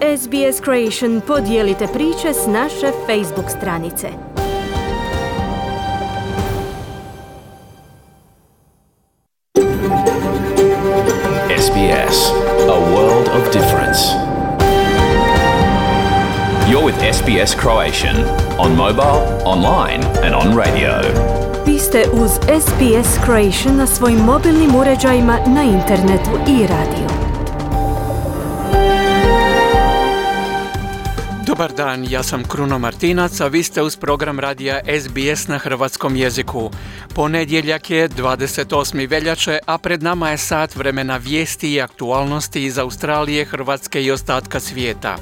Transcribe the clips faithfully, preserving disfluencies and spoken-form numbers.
S B S Creation podijelite priče s naše Facebook stranice. S B S, a world of difference. You're with S B S Croatian on mobile, online and on radio. Vi ste uz S B S Croatian na svojim mobilnim uređajima, na internetu i radiju. Dobar dan, ja sam Kruno Martinac, a vi ste uz program radija S B S na hrvatskom jeziku. Ponedjeljak je dvadeset osmi veljače, a pred nama je sat vremena vijesti i aktualnosti iz Australije, Hrvatske i ostatka svijeta.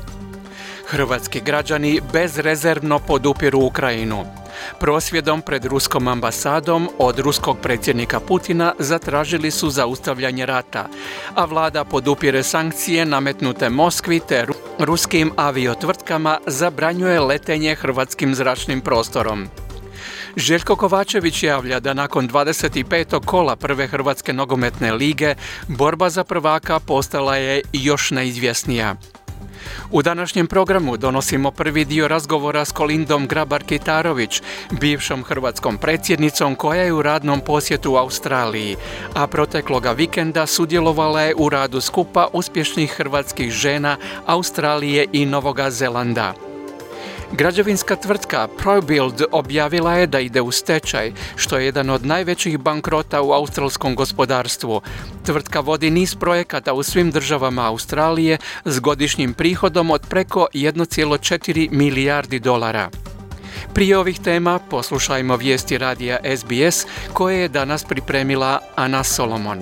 Hrvatski građani bezrezervno podupiru Ukrajinu. Prosvjedom pred ruskom ambasadom od ruskog predsjednika Putina zatražili su zaustavljanje rata, a vlada podupire sankcije nametnute Moskvi te ruskim aviotvrtkama, zabranjuje letenje hrvatskim zračnim prostorom. Željko Kovačević javlja da nakon dvadeset petog kola prve Hrvatske nogometne lige borba za prvaka postala je još neizvjesnija. U današnjem programu donosimo prvi dio razgovora s Kolindom Grabar-Kitarović, bivšom hrvatskom predsjednicom koja je u radnom posjetu u Australiji, a protekloga vikenda sudjelovala je u radu skupa uspješnih hrvatskih žena Australije i Novoga Zelanda. Građevinska tvrtka ProBuild objavila je da ide u stečaj, što je jedan od najvećih bankrota u australskom gospodarstvu. Tvrtka vodi niz projekata u svim državama Australije s godišnjim prihodom od preko jedan zarez četiri milijardi dolara. Prije ovih tema poslušajmo vijesti radija S B S koje je danas pripremila Ana Solomon.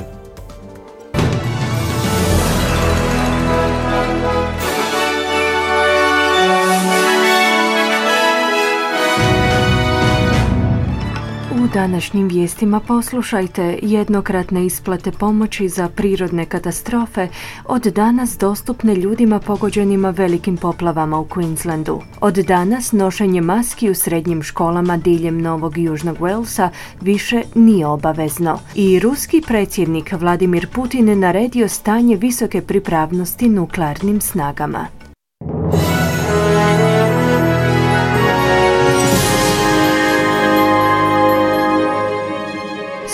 U današnjim vijestima poslušajte: jednokratne isplate pomoći za prirodne katastrofe od danas dostupne ljudima pogođenima velikim poplavama u Queenslandu. Od danas nošenje maski u srednjim školama diljem Novog i Južnog Walesa više nije obavezno. I ruski predsjednik Vladimir Putin naredio stanje visoke pripravnosti nuklearnim snagama.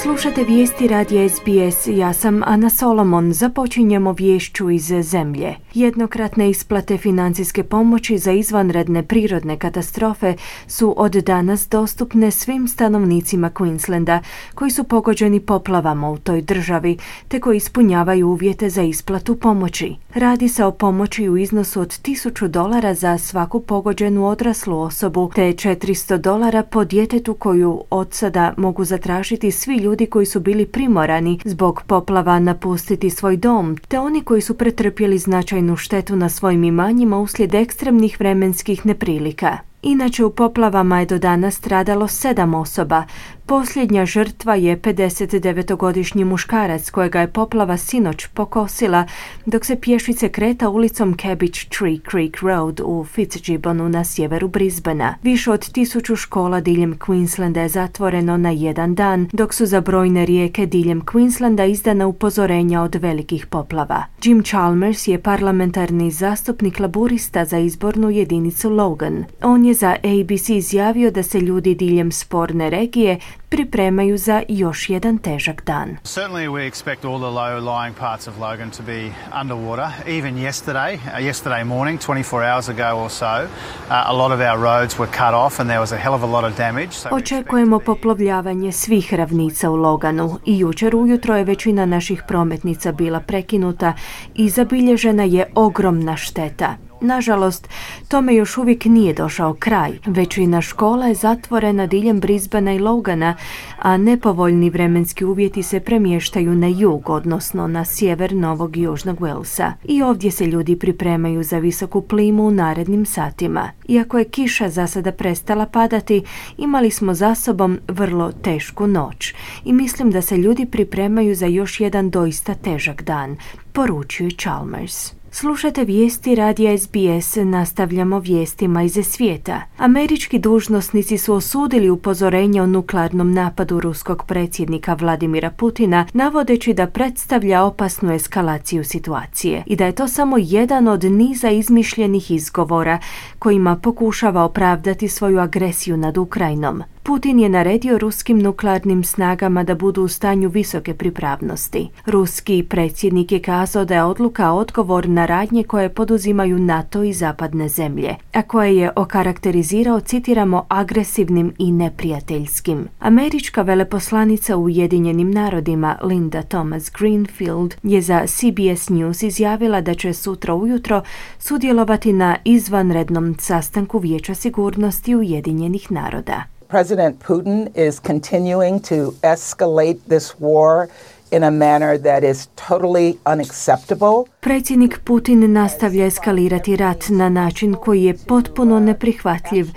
Slušate vijesti radija S B S, ja sam Ana Solomon. Započinjemo viješću iz zemlje. Jednokratne isplate financijske pomoći za izvanredne prirodne katastrofe su od danas dostupne svim stanovnicima Queenslanda koji su pogođeni poplavama u toj državi, te koji ispunjavaju uvjete za isplatu pomoći. Radi se o pomoći u iznosu od tisuću dolara za svaku pogođenu odraslu osobu, te četiristo dolara po djetetu koju od sada mogu zatražiti svi ljudi koji su bili primorani zbog poplava napustiti svoj dom, te oni koji su pretrpjeli značajnu štetu na svojim imanjima uslijed ekstremnih vremenskih neprilika. Inače, u poplavama je do danas stradalo sedam osoba. Posljednja žrtva je pedesetdevetogodišnji muškarac kojega je poplava sinoć pokosila dok se pješice kreta ulicom Cabbage Tree Creek Road u Fitzgibbonu na sjeveru Brisbanea. Više od tisuću škola diljem Queenslanda je zatvoreno na jedan dan, dok su za brojne rijeke diljem Queenslanda izdana upozorenja od velikih poplava. Jim Chalmers je parlamentarni zastupnik laburista za izbornu jedinicu Logan. On je za A B C izjavio da se ljudi diljem sporne regije pripremaju za još jedan težak dan. Certainly we expect all the low-lying parts of Logan to be underwater. Even yesterday, uh, yesterday morning, twenty-four hours ago or so, uh, a lot of our roads were cut off and there was a hell of a lot of damage. So Očekujemo poplavljavanje svih ravnica u Loganu i jučer ujutro je većina naših prometnica bila prekinuta i zabilježena je ogromna šteta. Nažalost, tome još uvijek nije došao kraj. Većina škola je zatvorena diljem Brisbanea i Logana, a nepovoljni vremenski uvjeti se premještaju na jug, odnosno na sjever Novog i Južnog Walesa. I ovdje se ljudi pripremaju za visoku plimu u narednim satima. Iako je kiša za sada prestala padati, imali smo za sobom vrlo tešku noć. I mislim da se ljudi pripremaju za još jedan doista težak dan, poručuje Chalmers. Slušate vijesti radija S B S, nastavljamo vijestima iz svijeta. Američki dužnosnici su osudili upozorenje o nuklearnom napadu ruskog predsjednika Vladimira Putina, navodeći da predstavlja opasnu eskalaciju situacije i da je to samo jedan od niza izmišljenih izgovora kojima pokušava opravdati svoju agresiju nad Ukrajinom. Putin je naredio ruskim nuklearnim snagama da budu u stanju visoke pripravnosti. Ruski predsjednik je kazao da je odluka odgovor na radnje koje poduzimaju NATO i zapadne zemlje, a koje je okarakterizirao, citiramo, agresivnim i neprijateljskim. Američka veleposlanica u Ujedinjenim narodima Linda Thomas Greenfield je za C B S News izjavila da će sutra ujutro sudjelovati na izvanrednom sastanku Vijeća sigurnosti Ujedinjenih naroda. President Putin is continuing to escalate this war in a manner that is totally unacceptable. Predsjednik Putin nastavlja eskalirati rat na način koji je potpuno neprihvatljiv.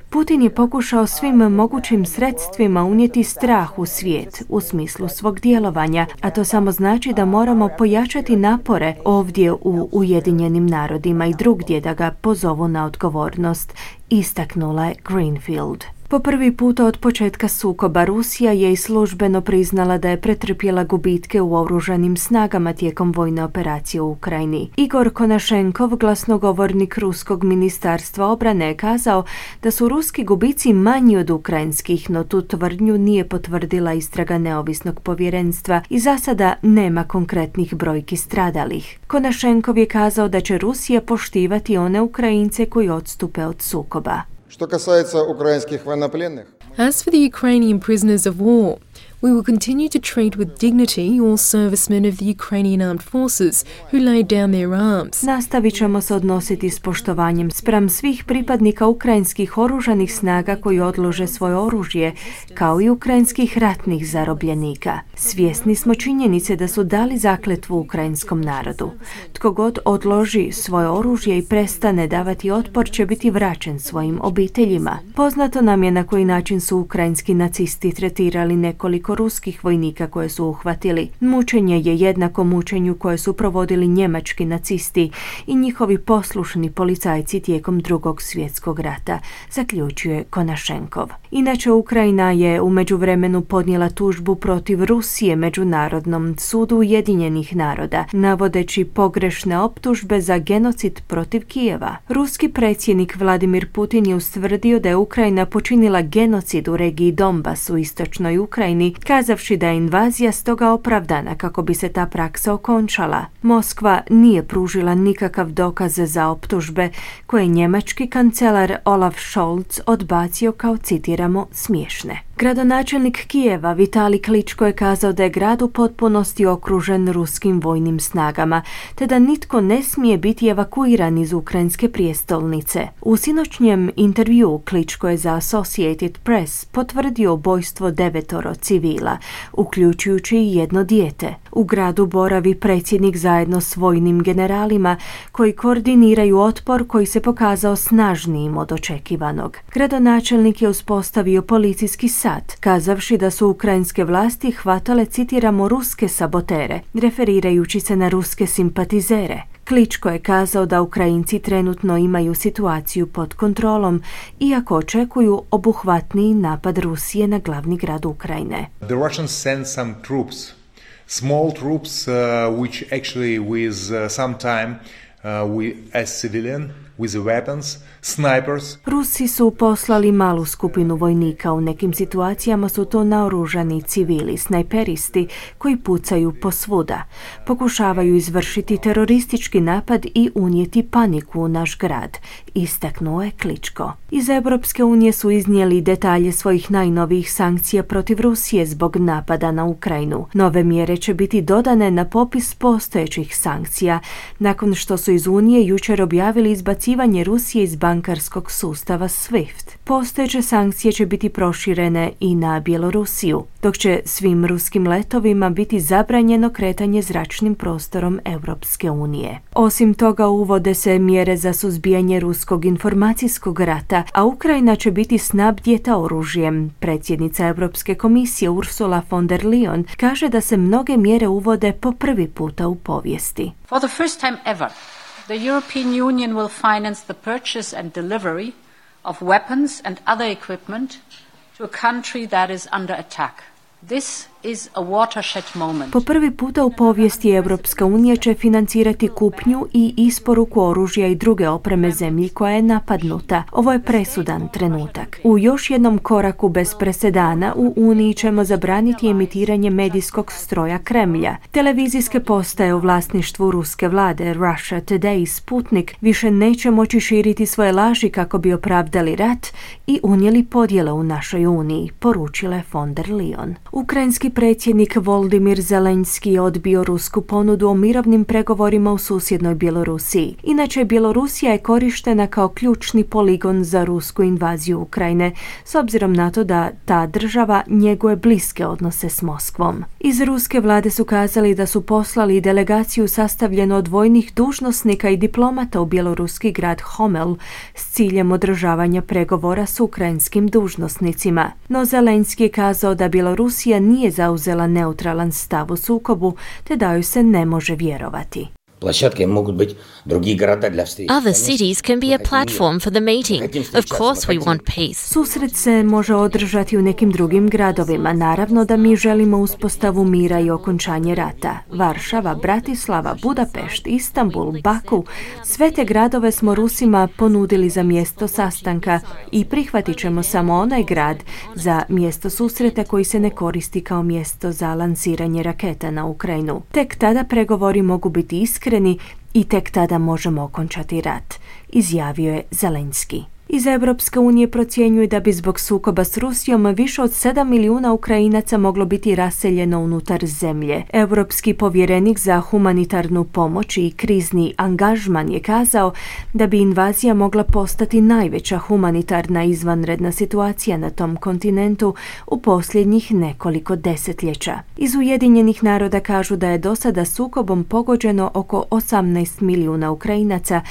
Putin je pokušao svim mogućim sredstvima unijeti strah u svijet u smislu svog djelovanja, a to samo znači da moramo pojačati napore ovdje u Ujedinjenim narodima i drugdje da ga pozovu na odgovornost, istaknula je Greenfield. Po prvi puta od početka sukoba Rusija je i službeno priznala da je pretrpjela gubitke u oružanim snagama tijekom vojne operacije u Ukrajini. Igor Konašenkov, glasnogovornik ruskog ministarstva obrane, je kazao da su ruski gubici manji od ukrajinskih, no tu tvrdnju nije potvrdila istraga neovisnog povjerenstva i za sada nema konkretnih brojki stradalih. Konašenkov je kazao da će Rusija poštivati one Ukrajince koji odstupe od sukoba. Что касается украинских военнопленных. As for the Ukrainian prisoners of war, we will continue to treat with dignity all servicemen of the Ukrainian armed forces who laid down their arms. Nastavit ćemo se odnositi s poštovanjem spram svih pripadnika ukrajinskih oružanih snaga koji odlože svoje oružje, kao i ukrajinskih ratnih zarobljenika. Svjesni smo činjenice da su dali zakletvu ukrajinskom narodu. Tko god odloži svoje oružje i prestane davati otpor će biti vraćen svojim obiteljima. Poznato nam je na koji način su ukrajinski nacisti tretirali nekoliko ruskih vojnika koje su uhvatili. Mučenje je jednako mučenju koje su provodili njemački nacisti i njihovi poslušni policajci tijekom Drugog svjetskog rata, zaključuje Konašenkov. Inače, Ukrajina je u međuvremenu podnijela tužbu protiv Rusije Međunarodnom sudu Ujedinjenih naroda, navodeći pogrešne optužbe za genocid protiv Kijeva. Ruski predsjednik Vladimir Putin je ustvrdio da je Ukrajina počinila genocid u regiji Donbas u istočnoj Ukrajini, kazavši da je invazija stoga opravdana kako bi se ta praksa okončala. Moskva nije pružila nikakav dokaz za optužbe koje je njemački kancelar Olaf Scholz odbacio kao, citiramo, smiješne. Gradonačelnik Kijeva Vitali Kličko je kazao da je grad u potpunosti okružen ruskim vojnim snagama, te da nitko ne smije biti evakuiran iz ukrajinske prijestolnice. U sinoćnjem intervjuu Kličko je za Associated Press potvrdio ubojstvo devetoro civila, uključujući i jedno dijete. U gradu boravi predsjednik zajedno s vojnim generalima koji koordiniraju otpor koji se pokazao snažnijim od očekivanog. Gradonačelnik je uspostavio policijski sat, kazavši da su ukrajinske vlasti hvatale, citiramo, ruske sabotere, referirajući se na ruske simpatizere. Kličko je kazao da Ukrajinci trenutno imaju situaciju pod kontrolom, iako očekuju obuhvatniji napad Rusije na glavni grad Ukrajine. The Russians sent some troops, small troops, uh, which actually with uh, some time uh, we as civilian with the weapons, snipers. Rusi su poslali malu skupinu vojnika, u nekim situacijama su to naoružani civili, snajperisti koji pucaju posvuda. Pokušavaju izvršiti teroristički napad i unijeti paniku u naš grad, istaknuo je Kličko. Iz Europske unije su iznijeli detalje svojih najnovijih sankcija protiv Rusije zbog napada na Ukrajinu. Nove mjere će biti dodane na popis postojećih sankcija, nakon što su iz Unije jučer objavili izbacivanje Rusije iz bankarskog sustava SWIFT. Postojeće sankcije će biti proširene i na Bjelorusiju, dok će svim ruskim letovima biti zabranjeno kretanje zračnim prostorom Europske unije. Osim toga, uvode se mjere za suzbijanje ruskog informacijskog rata, a Ukrajina će biti snabdjeta oružjem. Predsjednica Europske komisije Ursula von der Leyen kaže da se mnoge mjere uvode po prvi puta u povijesti. For the first time ever, the European Union will finance the purchase and delivery of weapons and other equipment to a country that is under attack. This is a watershed moment. Po prvi puta u povijesti Europska unija će financirati kupnju i isporuku oružja i druge opreme zemlji koja je napadnuta. Ovo je presudan trenutak. U još jednom koraku bez presedana u Uniji ćemo zabraniti emitiranje medijskog stroja Kremlja. Televizijske postaje u vlasništvu ruske vlade Russia Today i Sputnik više neće moći širiti svoje laži kako bi opravdali rat i unijeli podjele u našoj Uniji, poručila je von der Leyen. Ukrajinski predsjednik Volodymyr Zelenski odbio rusku ponudu o mirovnim pregovorima u susjednoj Bjelorusiji. Inače, Bjelorusija je korištena kao ključni poligon za rusku invaziju Ukrajine, s obzirom na to da ta država njeguje bliske odnose s Moskvom. Iz ruske vlade su kazali da su poslali delegaciju sastavljenu od vojnih dužnosnika i diplomata u bjeloruski grad Homel s ciljem održavanja pregovora s ukrajinskim dužnosnicima. No Zelenski je kazao da Bjelorusija nije zauzela neutralan stav u sukobu, te da joj se ne može vjerovati. Other cities can be a platform for the meeting. Of course we want peace. Susret se može održati u nekim drugim gradovima. Naravno da mi želimo uspostavu mira i okončanje rata. Varšava, Bratislava, Budapešt, Istanbul, Baku, sve te gradove smo Rusima ponudili za mjesto sastanka i prihvatit ćemo samo onaj grad za mjesto susreta koji se ne koristi kao mjesto za lansiranje raketa na Ukrajinu. Tek tada pregovori mogu biti iskreni i tek tada možemo okončati rat, izjavio je Zelenski. Iz Europske unije procjenjuje da bi zbog sukoba s Rusijom više od sedam milijuna Ukrajinaca moglo biti raseljeno unutar zemlje. Europski povjerenik za humanitarnu pomoć i krizni angažman je kazao da bi invazija mogla postati najveća humanitarna izvanredna situacija na tom kontinentu u posljednjih nekoliko desetljeća. Iz Ujedinjenih naroda kažu da je do sada sukobom pogođeno oko osamnaest milijuna Ukrajinaca,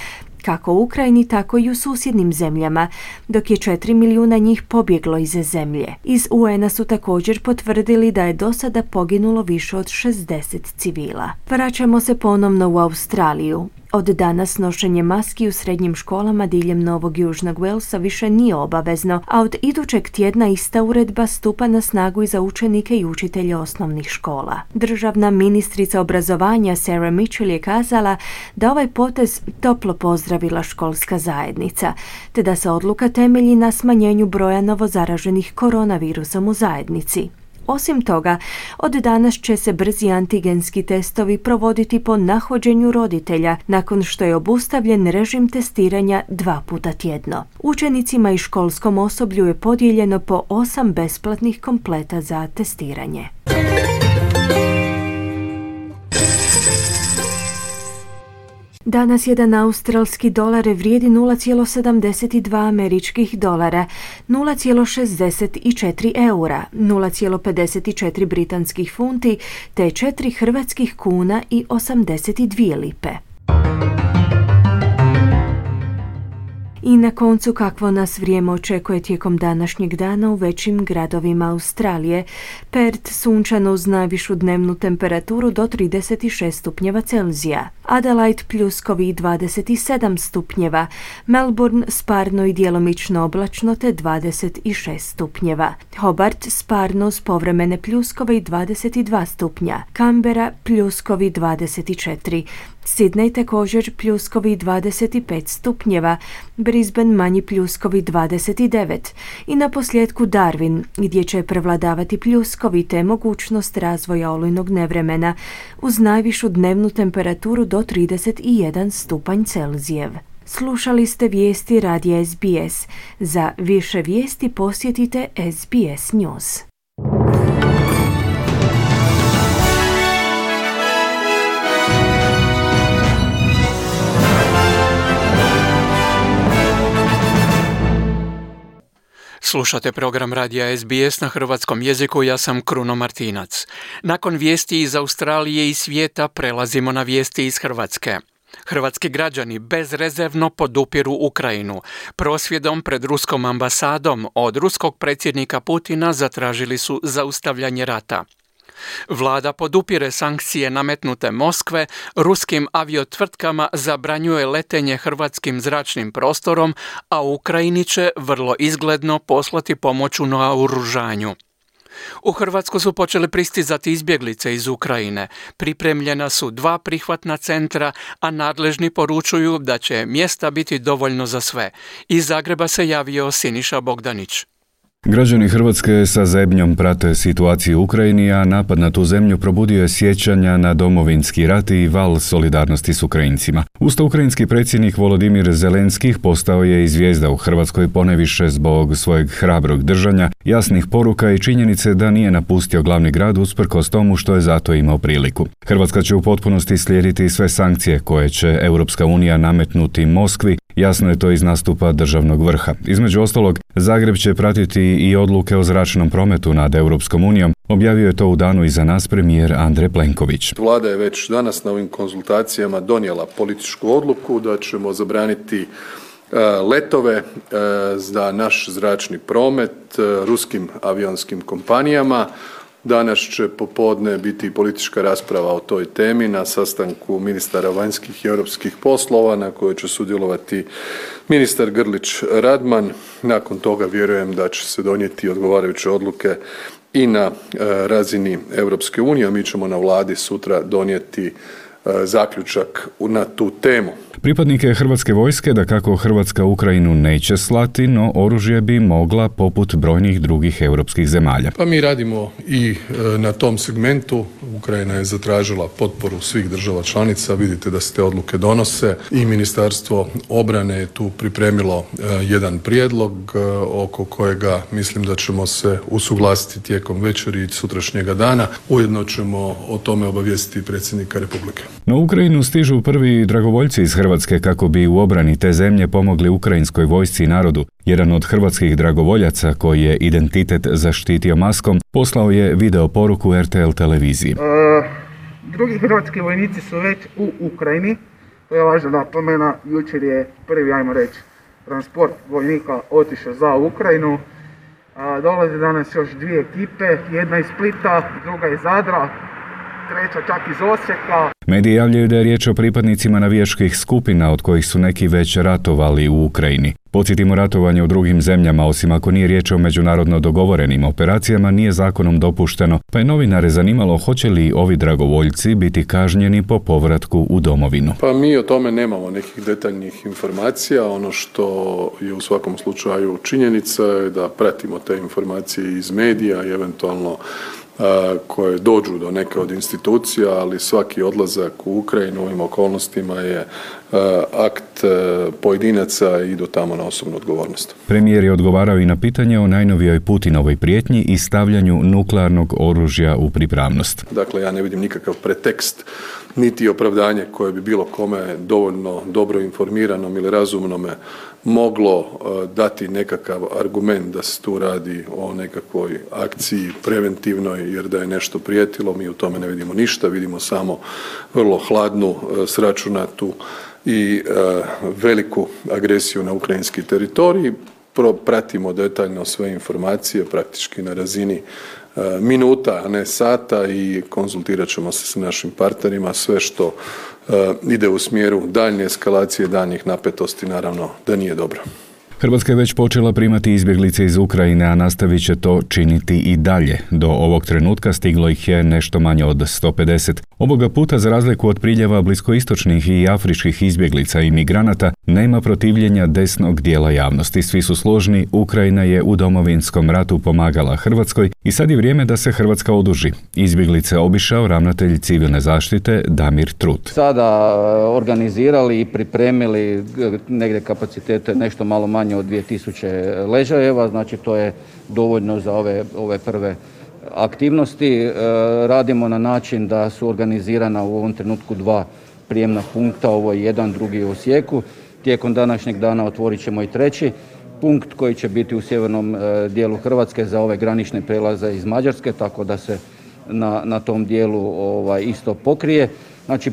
kako u Ukrajini, tako i u susjednim zemljama, dok je četiri milijuna njih pobjeglo iz zemlje. Iz U N-a su također potvrdili da je do sada poginulo više od šezdeset civila. Vraćamo se ponovno u Australiju. Od danas nošenje maski u srednjim školama diljem Novog Južnog Walesa više nije obavezno, a od idućeg tjedna ista uredba stupa na snagu i za učenike i učitelje osnovnih škola. Državna ministrica obrazovanja Sarah Mitchell je kazala da ovaj potez toplo pozdravila školska zajednica, te da se odluka temelji na smanjenju broja novozaraženih koronavirusom u zajednici. Osim toga, od danas će se brzi antigenski testovi provoditi po nahođenju roditelja nakon što je obustavljen režim testiranja dva puta tjedno. Učenicima i školskom osoblju je podijeljeno po osam besplatnih kompleta za testiranje. Danas jedan australski dolar vrijedi nula zarez sedamdeset dva američkih dolara, nula zarez šezdeset četiri eura, nula zarez pedeset četiri britanskih funti te četiri hrvatskih kuna i osamdeset dvije lipe. I na koncu kakvo nas vrijeme očekuje tijekom današnjeg dana u većim gradovima Australije. Perth sunčano uz najvišu dnevnu temperaturu do trideset šest stupnjeva Celzija. Adelaide pljuskovi dvadeset sedam stupnjeva. Melbourne sparno i djelomično oblačno te dvadeset šest stupnjeva. Hobart sparno uz povremene pljuskove i dvadeset dva stupnja. Canberra pljuskovi dvadeset četiri. Sydney također pljuskovi dvadeset pet stupnjeva, Brisbane manji pljuskovi dvadeset devet i na posljedku Darwin gdje će prevladavati pljuskovi te mogućnost razvoja olujnog nevremena uz najvišu dnevnu temperaturu do trideset jedan stupanj Celzijev. Slušali ste vijesti radija S B S. Za više vijesti posjetite S B S News. Slušate program radija S B S na hrvatskom jeziku, ja sam Kruno Martinac. Nakon vijesti iz Australije i svijeta prelazimo na vijesti iz Hrvatske. Hrvatski građani bezrezervno podupiru Ukrajinu. Prosvjedom pred ruskom ambasadom od ruskog predsjednika Putina zatražili su zaustavljanje rata. Vlada podupire sankcije nametnute Moskve, ruskim aviotvrtkama zabranjuje letenje hrvatskim zračnim prostorom, a Ukrajini će vrlo izgledno poslati pomoć u naoružanju. U Hrvatsku su počele pristizati izbjeglice iz Ukrajine. Pripremljena su dva prihvatna centra, a nadležni poručuju da će mjesta biti dovoljno za sve. Iz Zagreba se javio Siniša Bogdanić. Građani Hrvatske sa zebnjom prate situaciju u Ukrajini, a napad na tu zemlju probudio je sjećanja na Domovinski rat i val solidarnosti s Ukrajincima. Usto ukrajinski predsjednik Volodimir Zelenskih postao je i zvijezda u Hrvatskoj ponajviše zbog svojeg hrabrog držanja, jasnih poruka i činjenice da nije napustio glavni grad usprkos tomu što je zato imao priliku. Hrvatska će u potpunosti slijediti sve sankcije koje će Europska unija nametnuti Moskvi. Jasno je to iz nastupa državnog vrha. Između ostalog, Zagreb će pratiti i odluke o zračnom prometu nad Europskom unijom. Objavio je to u danu iza nas premijer Andrej Plenković. Vlada je već danas na ovim konzultacijama donijela političku odluku da ćemo zabraniti letove za naš zračni promet ruskim avionskim kompanijama. Danas će popodne biti politička rasprava o toj temi na sastanku ministara vanjskih i europskih poslova na kojoj će sudjelovati ministar Grlić Radman. Nakon toga vjerujem da će se donijeti odgovarajuće odluke i na razini Europske unije, a mi ćemo na vladi sutra donijeti zaključak na tu temu. Pripadnike Hrvatske vojske da kako Hrvatska Ukrajinu neće slati, no oružje bi mogla poput brojnih drugih europskih zemalja. Pa mi radimo i na tom segmentu. Ukrajina je zatražila potporu svih država članica. Vidite da se te odluke donose i Ministarstvo obrane je tu pripremilo jedan prijedlog oko kojega mislim da ćemo se usuglasiti tijekom večeri i sutrašnjega dana. Ujedno ćemo o tome obavijestiti predsjednika Republike. Na Ukrajinu stižu prvi dragovoljci iz Hrvatske kako bi u obrani te zemlje pomogli ukrajinskoj vojsci i narodu. Jedan od hrvatskih dragovoljaca koji je identitet zaštitio maskom poslao je video poruku R T L televiziji. E, drugi hrvatski vojnici su već u Ukrajini. To je važna napomena. Jučer je prvi, ajmo reći, transport vojnika otišao za Ukrajinu. A, dolaze danas još dvije ekipe, jedna iz Splita, druga iz Zadra, treća čak iz Osijeka. Mediji javljaju da je riječ o pripadnicima navijačkih skupina od kojih su neki već ratovali u Ukrajini. Podsjetimo, ratovanje u drugim zemljama, osim ako nije riječ o međunarodno dogovorenim operacijama, nije zakonom dopušteno, pa je novinare zanimalo hoće li ovi dragovoljci biti kažnjeni po povratku u domovinu. Pa mi o tome nemamo nekih detaljnih informacija. Ono što je u svakom slučaju činjenica je da pratimo te informacije iz medija i eventualno koje dođu do neke od institucija, ali svaki odlazak u Ukrajinu u ovim okolnostima je akt pojedinaca i idu tamo na osobnu odgovornost. Premijer je odgovarao i na pitanje o najnovijoj Putinovoj prijetnji i stavljanju nuklearnog oružja u pripravnost. Dakle, ja ne vidim nikakav pretekst niti opravdanje koje bi bilo kome dovoljno dobro informiranom ili razumnome moglo dati nekakav argument da se tu radi o nekakvoj akciji preventivnoj, jer da je nešto prijetilo, mi u tome ne vidimo ništa, vidimo samo vrlo hladnu, sračunatu i veliku agresiju na ukrajinski teritorij. Pratimo detaljno sve informacije, praktički na razini minuta, a ne sata, i konzultirat ćemo se s našim partnerima. Sve što ide u smjeru daljnje eskalacije, daljnjih napetosti, naravno da nije dobro. Hrvatska je već počela primati izbjeglice iz Ukrajine, a nastavit će to činiti i dalje. Do ovog trenutka stiglo ih je nešto manje od sto pedeset. Ovoga puta, za razliku od priljeva bliskoistočnih i afričkih izbjeglica i migranata, nema protivljenja desnog dijela javnosti. Svi su složni, Ukrajina je u Domovinskom ratu pomagala Hrvatskoj i sad je vrijeme da se Hrvatska oduži. Izbjeglice obišao ravnatelj civilne zaštite Damir Trut. Sada organizirali i pripremili negdje kapacitete nešto malo manje od dvije tisuće ležajeva, znači to je dovoljno za ove, ove prve aktivnosti. E, radimo na način da su organizirana u ovom trenutku dva prijemna punkta, ovo je jedan, drugi u Osijeku. Tijekom današnjeg dana otvorit ćemo i treći punkt koji će biti u sjevernom e, dijelu Hrvatske za ove granične prelaze iz Mađarske, tako da se na, na tom dijelu ovaj, isto pokrije. Znači, e,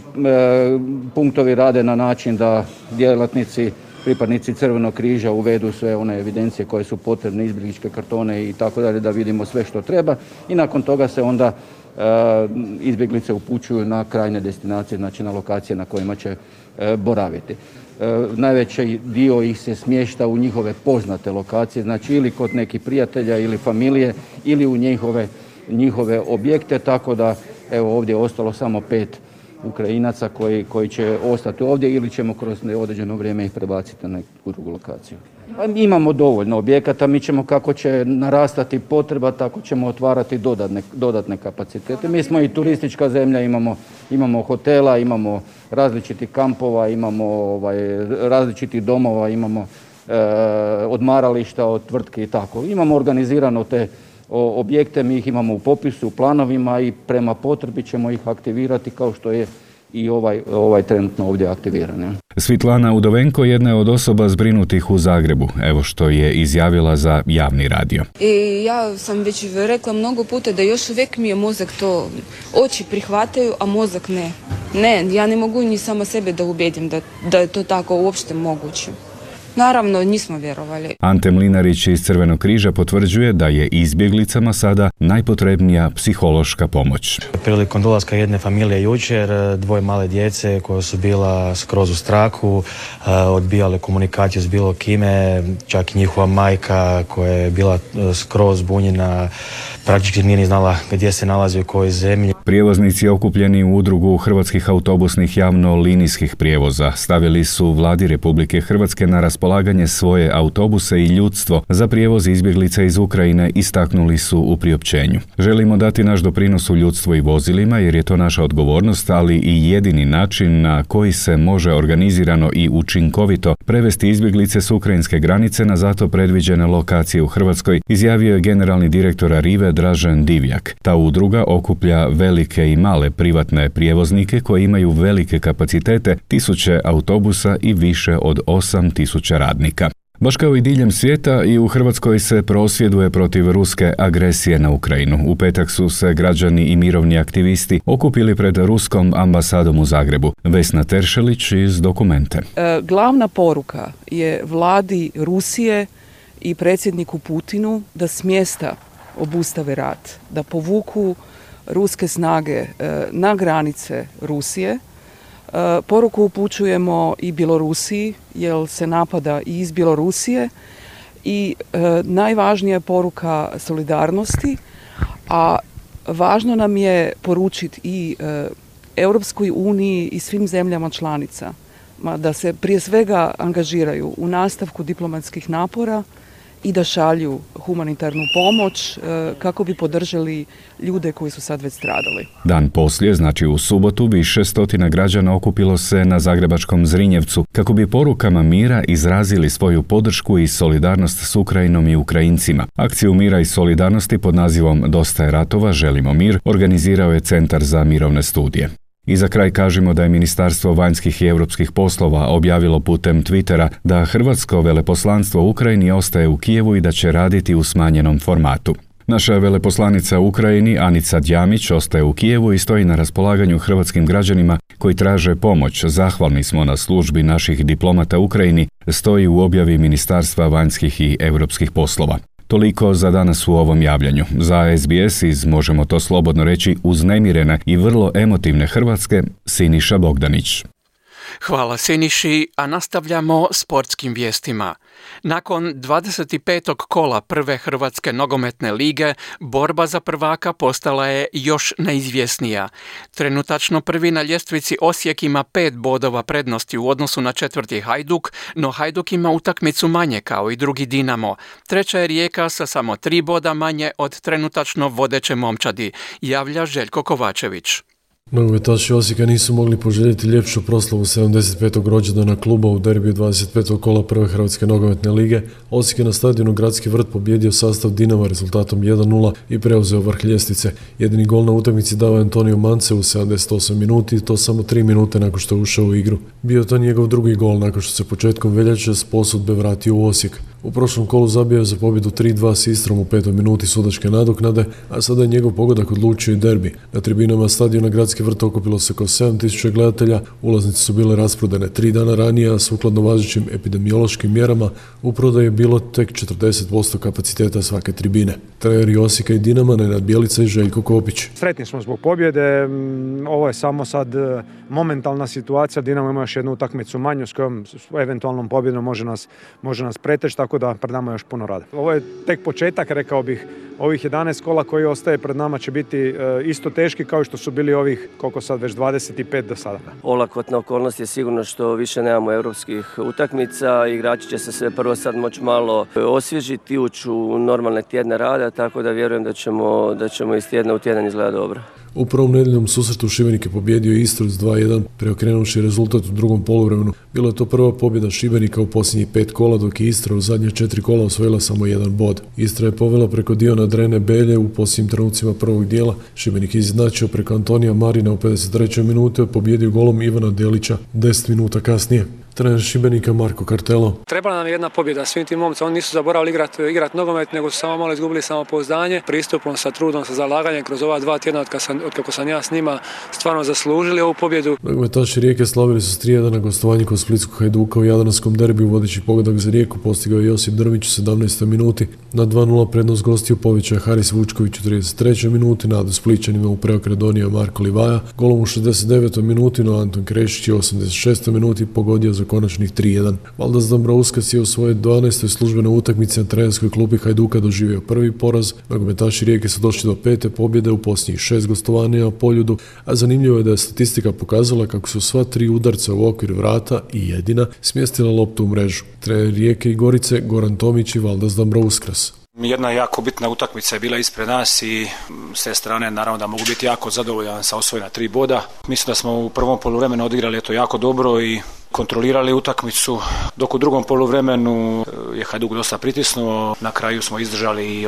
punktovi rade na način da djelatnici pripadnici Crvenog križa uvedu sve one evidencije koje su potrebne, izbjegličke kartone i tako dalje, da vidimo sve što treba i nakon toga se onda e, izbjeglice upućuju na krajnje destinacije, znači na lokacije na kojima će e, boraviti. E, najveći dio ih se smješta u njihove poznate lokacije, znači ili kod nekih prijatelja ili familije ili u njihove, njihove objekte, tako da evo ovdje je ostalo samo pet Ukrajinaca koji, koji će ostati ovdje ili ćemo kroz određeno vrijeme ih prebaciti na neku drugu lokaciju. Imamo dovoljno objekata, mi ćemo kako će narastati potreba, tako ćemo otvarati dodatne, dodatne kapacitete. Mi smo i turistička zemlja, imamo, imamo hotela, imamo različitih kampova, imamo ovaj, različitih domova, imamo e, odmarališta od tvrtke i tako. Imamo organizirano te o, objekte, mi ih imamo u popisu, u planovima i prema potrebi ćemo ih aktivirati kao što je i ovaj, ovaj trenutno ovdje aktiviran. Ja. Svitlana Udovenko jedna je od osoba zbrinutih u Zagrebu. Evo što je izjavila za javni radio. I ja sam već rekla mnogo puta da još uvijek mi je mozak to, oči prihvataju, a mozak ne. Ne, ja ne mogu ni sama sebe da ubedim da, da je to tako uopšte moguće. Naravno, nismo vjerovali. Ante Mlinarić iz Crvenog križa potvrđuje da je izbjeglicama sada najpotrebnija psihološka pomoć. Prilikom dolaska jedne familije jučer, dvoje male djece koja su bila skroz u strahu, odbijale komunikaciju s bilo kime, čak i njihova majka koja je bila skroz zbunjena, praktički nije ni znala gdje se nalazi u kojoj zemlji. Prijevoznici okupljeni u udrugu hrvatskih autobusnih javno-linijskih prijevoza stavili su Vladi Republike Hrvatske na raspolaganje svoje autobuse i ljudstvo za prijevoz izbjeglica iz Ukrajine, istaknuli su u priopćenju. Želimo dati naš doprinos u ljudstvu i vozilima jer je to naša odgovornost, ali i jedini način na koji se može organizirano i učinkovito prevesti izbjeglice s ukrajinske granice na zato predviđene lokacije u Hrvatskoj, izjavio je generalni direktor Arrive Dražen Divjak. Ta udruga okuplja velike i male privatne prijevoznike koji imaju velike kapacitete, tisuće autobusa i više od osam tisuća radnika. Baš kao i diljem svijeta, i u Hrvatskoj se prosvjeduje protiv ruske agresije na Ukrajinu. U petak su se građani i mirovni aktivisti okupili pred ruskom ambasadom u Zagrebu. Vesna Teršelić iz Dokumente. E, glavna poruka je vladi Rusije i predsjedniku Putinu da smjesta obustave rat, da povuku ruske snage e, na granice Rusije. E, poruku upućujemo i Bjelorusiji, jer se napada i iz Bjelorusije. I e, najvažnija je poruka solidarnosti, a važno nam je poručiti i e, Europskoj uniji i svim zemljama članica da se prije svega angažiraju u nastavku diplomatskih napora i da šalju humanitarnu pomoć kako bi podržali ljude koji su sad već stradali. Dan poslije, znači u subotu, više stotina građana okupilo se na zagrebačkom Zrinjevcu kako bi porukama mira izrazili svoju podršku i solidarnost s Ukrajinom i Ukrajincima. Akciju mira i solidarnosti pod nazivom Dosta je ratova, želimo mir organizirao je Centar za mirovne studije. I za kraj kažemo da je Ministarstvo vanjskih i europskih poslova objavilo putem Twittera da hrvatsko veleposlanstvo u Ukrajini ostaje u Kijevu i da će raditi u smanjenom formatu. Naša veleposlanica u Ukrajini, Anica Djamić, ostaje u Kijevu i stoji na raspolaganju hrvatskim građanima koji traže pomoć. Zahvalni smo na službi naših diplomata u Ukrajini, stoji u objavi Ministarstva vanjskih i europskih poslova. Toliko za danas u ovom javljanju. Za S B S iz, možemo to slobodno reći, uznemirene i vrlo emotivne Hrvatske, Siniša Bogdanić. Hvala Siniši, a nastavljamo sportskim vijestima. Nakon dvadeset petog kola prve Hrvatske nogometne lige, borba za prvaka postala je još neizvjesnija. Trenutačno prvi na ljestvici Osijek ima pet bodova prednosti u odnosu na četvrti Hajduk, no Hajduk ima utakmicu manje kao i drugi Dinamo. Treća je Rijeka sa samo tri boda manje od trenutačno vodeće momčadi, javlja Željko Kovačević. Nogometaši Osijeka nisu mogli poželjeti ljepšu proslavu sedamdeset petog rođendana kluba u derbiju dvadeset petog kola prve Hrvatske nogometne lige. Osijek je na stadionu Gradski vrt pobjedio sastav Dinama rezultatom jedan nula i preuzeo vrh ljestvice. Jedini gol na utakmici dao je Antonio Mance u sedamdeset osam minuti i to samo tri minute nakon što je ušao u igru. Bio to njegov drugi gol nakon što se početkom veljače s posudbe vratio u Osijek. U prošlom kolu zabio je za pobjedu tri dva s Istrom u petoj minuti sudačke nadoknade, a sada je njegov pogodak odlučio i derbi. Na tribinama stadiona Gradski vrt okupilo se oko sedam tisuća gledatelja, ulaznice su bile rasprodane tri dana ranije, a sukladno važećim epidemiološkim mjerama u prodaji je bilo tek četrdeset posto kapaciteta svake tribine. Treneri Osijeka i Dinama Nenad Bjelica i Željko Kopić. Sretni smo zbog pobjede, ovo je samo sad momentalna situacija, Dinamo ima još jednu utakmicu manju s kojom eventualnom pobjedom može nas, može nas preteći, tako da pred nama je još puno rada. Ovo je tek početak, rekao bih, ovih jedanaest kola koji ostaje pred nama će biti isto teški kao što su bili ovih, koliko sad, već dvadeset pet do sada. Olakotna okolnost je sigurno što više nemamo europskih utakmica, igrači će se sve prvo sad moći malo osvježiti, ući u normalne tjedne rada, tako da vjerujem da ćemo, da ćemo iz tjedna u tjedan izgledati dobro. U prvom nedeljnom susretu Šibenik je pobjedio Istru s dva jedan, preokrenuvši rezultat u drugom poluvremenu. Bila je to prva pobjeda Šibenika u posljednjih pet kola, dok je Istra u zadnje četiri kola osvojila samo jedan bod. Istra je povela preko Diona Drene Belje u posljednjim trenucima prvog dijela. Šibenik je izjednačio preko Antonija Marina u pedeset trećoj minuti, a pobjedio golom Ivana Delića deset minuta kasnije. Trener Šibenika Marko Kartelo. Trebala nam je jedna pobjeda svim tim momcima, oni nisu zaboravili igrati igrat nogomet, nego su samo malo izgubili samopouzdanje. Pristupom, sa trudom, sa zalaganjem kroz ova dva tjedna od kako sam ja s njima stvarno zaslužili ovu pobjedu. Nogometaši Rijeke slavili su s tri jedan na gostovanju kod splitskog Hajduka u jadranskom derbiju. Vodeći pogodak za Rijeku postigao je Josip Drmić u sedamnaestoj minuti. Na dva nula prednost gostiju povećao je Haris Vučković u trideset trećoj minuti, nadu Splićanima u preokret donio Marko Livaja. Golom u šezdeset devetoj minuti, no Anton Krešić je u osamdeset šestoj minuti pogodio za konačnih tri jedan. Valdas Dombrovskis je u svojoj dvanaestoj službenoj utakmici na trenerskoj klupi Hajduka doživio prvi poraz. Nogometaši Rijeke su došli do pete pobjede u posljednjih šest gostovanja na Poljudu, a zanimljivo je da je statistika pokazala kako su sva tri udarca u okvir vrata i jedina smjestila loptu u mrežu. Trener Rijeke i Gorice Goran Tomić i Valdas Dombrovskis. Jedna jako bitna utakmica je bila ispred nas i s te strane naravno da mogu biti jako zadovoljan sa osvojena tri boda. Mislim da smo u prvom poluvremenu odigrali to jako dobro i kontrolirali utakmicu, dok u drugom poluvremenu je Hajduk dosta pritisnuo, na kraju smo izdržali i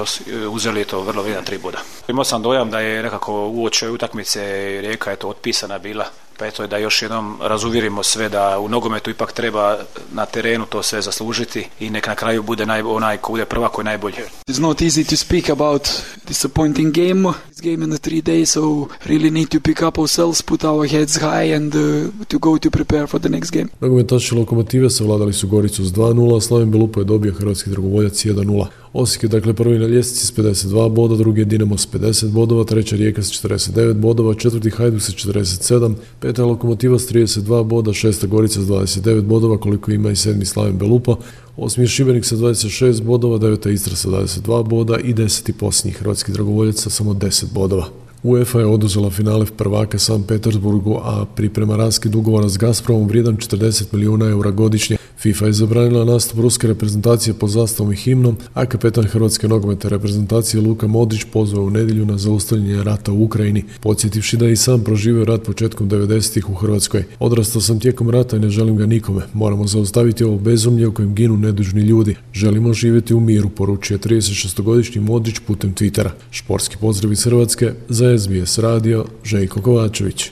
uzeli to vrlo vrijedan tri boda. Imao sam dojam da je nekako uoči utakmice Rijeka je to otpisana bila, pa eto da još jednom razuvjerimo sve da u nogometu ipak treba na terenu to sve zaslužiti i nek na kraju bude naj, onaj ko bude prvak koji je najbolji. It's not easy to speak about disappointing game. This game in the three days, so really need to pick up ourselves, put our heads high and uh, to go to prepare for the next game. Nogometaši Lokomotive savladali su Goricu s dva nula, Slaven Belupo je dobio Hrvatski dragovoljac jedan nula. Osijek je dakle prvi na ljestvici s pedeset dva boda, drugi je Dinamo s pedeset bodova, treća Rijeka s četrdeset devet bodova, četvrti Hajduk s četrdeset sedam, peta Lokomotiva s trideset dva boda, šesta Gorica s dvadeset devet bodova, koliko ima i sedmi Slaven Belupo, osmi je Šibenik sa dvadeset šest bodova, deveta Istra sa dvadeset dva boda i deseti posljednji Hrvatski dragovoljac sa samo deset bodova. UEFA je oduzela finale prvaka Sankt Petersburgu, a priprema raskid ugovora s Gazpromom vrijedan četrdeset milijuna eura godišnje. FIFA je zabranila nastup ruske reprezentacije pod zastavom i himnom, a kapetan hrvatske nogometne reprezentacije Luka Modrić pozvao u nedjelju na zaustavljanje rata u Ukrajini, podsjetivši da je i sam proživio rat početkom devedesetih u Hrvatskoj. Odrastao sam tijekom rata i ne želim ga nikome. Moramo zaustaviti ovo bezumlje u kojem ginu nedužni ljudi. Želimo živjeti u miru, poručuje tridesetšestogodišnji Modrić putem Twittera. Športski pozdrav iz Hrvatske za S B S radio, Željko Kovačević.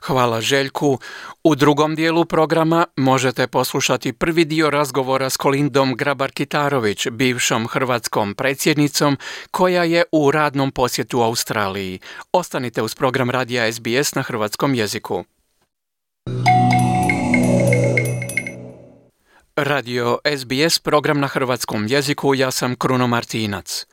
Hvala Željku. U drugom dijelu programa možete poslušati prvi dio razgovora s Kolindom Grabar-Kitarović, bivšom hrvatskom predsjednicom, koja je u radnom posjetu Australiji. Ostanite uz program radija S B S na hrvatskom jeziku. Radio S B S, program na hrvatskom jeziku, ja sam Kruno Martinac.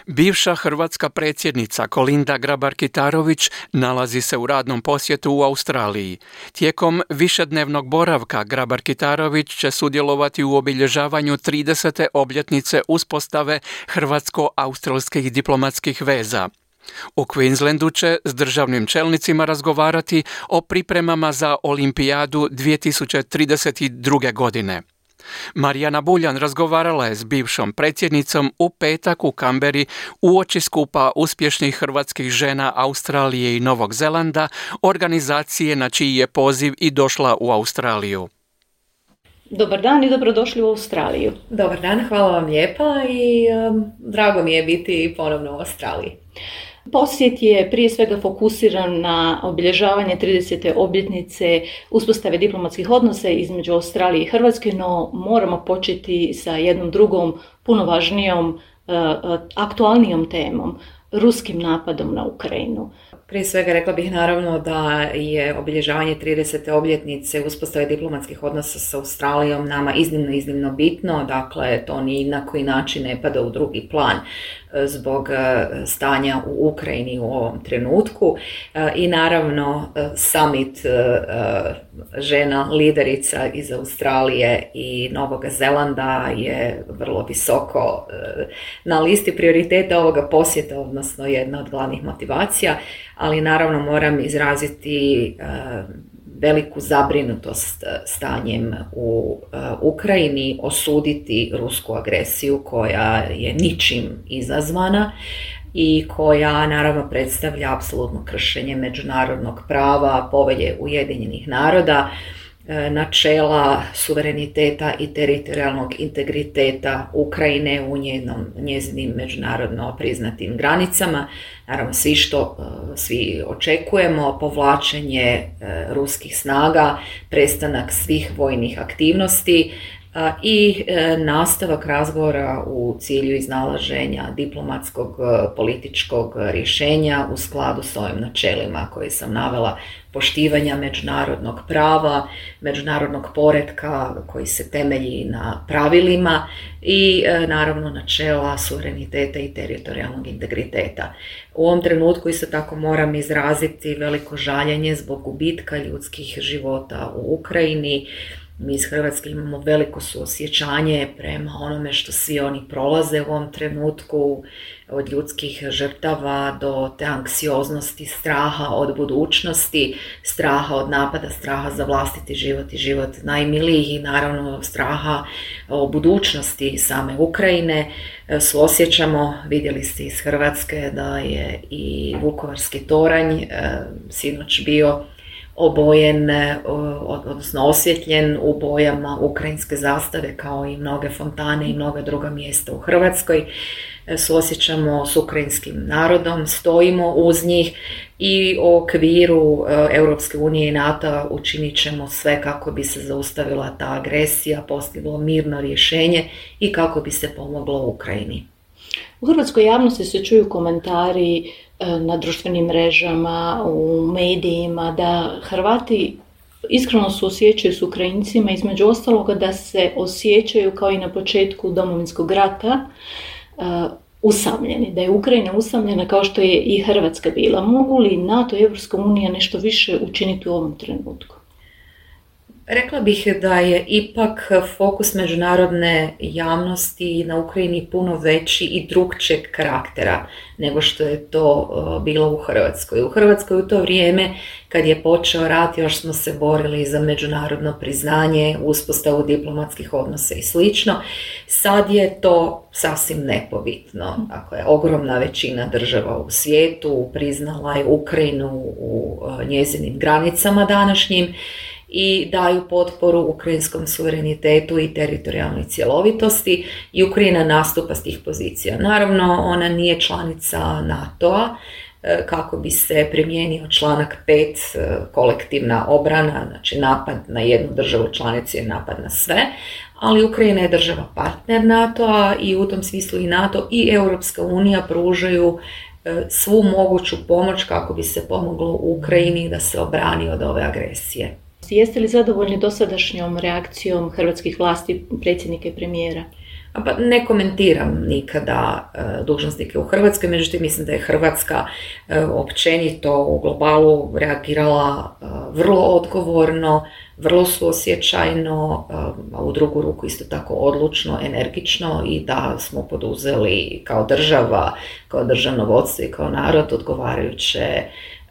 Bivša hrvatska predsjednica Kolinda Grabar-Kitarović nalazi se u radnom posjetu u Australiji. Tijekom višednevnog boravka Grabar-Kitarović će sudjelovati u obilježavanju tridesete obljetnice uspostave hrvatsko-australskih diplomatskih veza. U Queenslandu će s državnim čelnicima razgovarati o pripremama za Olimpijadu dvije tisuće trideset druge. godine. Marijana Buljan razgovarala je s bivšom predsjednicom u petak u Kamberi uoči skupa uspješnih hrvatskih žena Australije i Novog Zelanda, organizacije na čiji je poziv i došla u Australiju. Dobar dan i dobrodošli u Australiju. Dobar dan, hvala vam lijepa i um, drago mi je biti ponovno u Australiji. Posjet je prije svega fokusiran na obilježavanje tridesete obljetnice uspostave diplomatskih odnosa između Australije i Hrvatske, no moramo početi sa jednom drugom, puno važnijom, aktualnijom temom, ruskim napadom na Ukrajinu. Prije svega rekla bih naravno da je obilježavanje tridesete obljetnice uspostave diplomatskih odnosa sa Australijom nama iznimno, iznimno bitno, dakle to ni na koji način ne pada u drugi plan zbog stanja u Ukrajini u ovom trenutku i naravno summit žena liderica iz Australije i Novog Zelanda je vrlo visoko na listi prioriteta ovoga posjeta, odnosno jedna od glavnih motivacija, ali naravno moram izraziti veliku zabrinutost stanjem u Ukrajini, osuditi rusku agresiju koja je ničim izazvana i koja naravno predstavlja apsolutno kršenje međunarodnog prava, povelje Ujedinjenih naroda, načela suvereniteta i teritorijalnog integriteta Ukrajine u njenom, njezinim međunarodno priznatim granicama. Naravno, svi što svi očekujemo, povlačenje ruskih snaga, prestanak svih vojnih aktivnosti i nastavak razgovora u cilju iznalaženja diplomatskog političkog rješenja u skladu s ovim načelima koje sam navela, poštivanja međunarodnog prava, međunarodnog poretka koji se temelji na pravilima i naravno načela suvereniteta i teritorijalnog integriteta. U ovom trenutku isto tako moram izraziti veliko žaljenje zbog gubitka ljudskih života u Ukrajini. Mi iz Hrvatske imamo veliko suosjećanje prema onome što svi oni prolaze u ovom trenutku, od ljudskih žrtava do te anksioznosti, straha od budućnosti, straha od napada, straha za vlastiti život i život najmilijih i naravno straha o budućnosti same Ukrajine. Suosjećamo, vidjeli ste iz Hrvatske da je i Vukovarski toranj sinoć bio obojen, odnosno osvjetljen u bojama ukrajinske zastave kao i mnoge fontane i mnoga druga mjesta u Hrvatskoj. Suosjećamo s ukrajinskim narodom, stojimo uz njih i u okviru Europske unije i NATO učinit ćemo sve kako bi se zaustavila ta agresija, postiglo mirno rješenje i kako bi se pomoglo Ukrajini. U hrvatskoj javnosti se čuju komentari na društvenim mrežama, u medijima, da Hrvati iskreno suosjećaju s Ukrajincima, između ostaloga da se osjećaju kao i na početku Domovinskog rata usamljeni, da je Ukrajina usamljena kao što je i Hrvatska bila. Mogu li NATO i Europska unija nešto više učiniti u ovom trenutku? Rekla bih da je ipak fokus međunarodne javnosti na Ukrajini puno veći i drugčijeg karaktera nego što je to bilo u Hrvatskoj. U Hrvatskoj u to vrijeme kad je počeo rat još smo se borili za međunarodno priznanje, uspostavu diplomatskih odnosa i slično. Sad je to sasvim nepobitno. Dakle, ogromna većina država u svijetu priznala je Ukrajinu u njezinim granicama današnjim i daju potporu ukrajinskom suverenitetu i teritorijalnoj cjelovitosti i Ukrajina nastupa s tih pozicija. Naravno, ona nije članica NATO-a, kako bi se primijenio članak pet, kolektivna obrana, znači napad na jednu državu članicu je napad na sve, ali Ukrajina je država partner NATO-a i u tom smislu i NATO i Europska unija pružaju svu moguću pomoć kako bi se pomoglo Ukrajini da se obrani od ove agresije. Jeste li zadovoljni dosadašnjom reakcijom hrvatskih vlasti, predsjednika i premijera? Pa ne komentiram nikada uh, dužnosnike u Hrvatskoj, međutim mislim da je Hrvatska uh, općenito u globalu reagirala uh, vrlo odgovorno, vrlo suosjećajno, uh, a u drugu ruku isto tako odlučno, energično i da smo poduzeli kao država, kao državno vodstvo i kao narod odgovarajuće